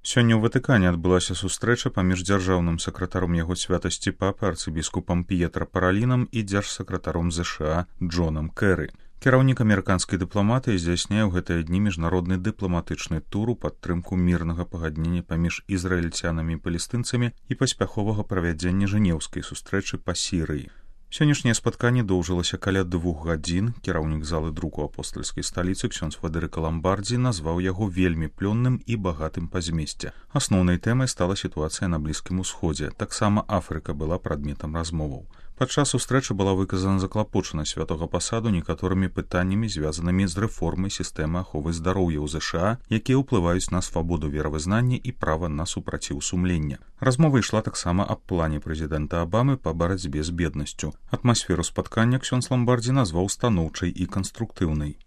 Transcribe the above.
Сёння ў Ватыкане адбылася сустрэча паміж дзяржаўным сакратаром яго святасці папы арцыбіскупам П'етра Паралінам і дзяржсакратаром ЗША Джонам Кэры. Кіраўнік амерыканскай дыпламатыі здзяйсняе ў гэтыя дні міжнародны дыпламатычны тур у падтрымку мірнага пагаднення паміж ізраільцянамі і палестынцамі і паспяховага правядзення жэнеўскай сустрэчы па Сірыі. Сённяшняе спатканне доўжылася каля 2 гадзін. Кіраўнік залы друку апостальскай сталіцы ксёндз Фадэрыка Ламбардзі назваў яго вельмі плённым і багатым па змесце. Асноўнай тэмай стала сітуацыя на Блізкім Усходзе. Таксама Афрыка была прадметам размоваў. Падчас сустрэчы была выказана заклапочанасць святога пасаду некаторымі пытаннямі, звязанымі з рэформай сістэмы аховы здароўя ў ЗША, якія ўплываюць на свабоду веравызнання і права на супраціў сумлення. Размова ішла таксама аб плане прэзідэнта Абамы па барацьбе з беднасцю. Атмасферу спаткання ксёндз Ламбардзі назваў станоўчай і канструктыўнай.